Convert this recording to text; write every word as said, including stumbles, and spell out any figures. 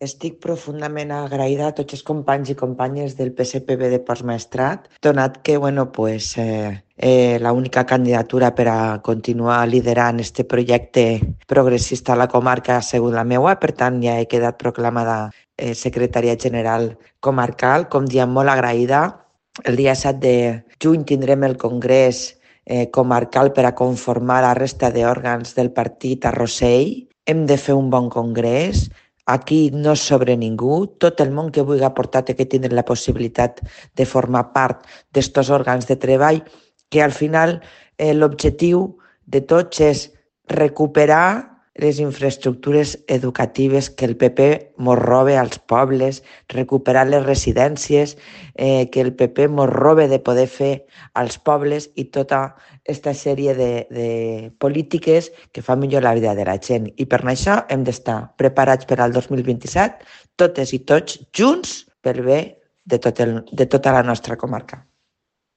Estic profundament agraïda a tots els companys i companyes del P S P B de Postmaestrat, donat que, bueno, pues, eh, eh, l'única candidatura per a continuar liderant este projecte progressista a la comarca ha sigut la meua, per tant ja he quedat proclamada eh, secretària general comarcal, com diem, molt agraïda. El dia set de juny tindrem el congrés eh, comarcal per a conformar la resta d'òrgans del partit a Rossell. Hem de fer un bon congrés. Aquí no és sobre ningú. Tot el món que vulgui aportar té que tindre la possibilitat de formar part d'estos òrgans de treball, que al final eh, l'objectiu de tots és recuperar les infraestructures educatives que el P P mos roba als pobles, recuperar les residències eh, que el P P mos roba de poder fer als pobles i tota aquesta sèrie de, de polítiques que fan millor la vida de la gent. I per això hem d'estar preparats per al dos mil vint-i-set, totes i tots junts, pel bé de, tot el, de tota la nostra comarca.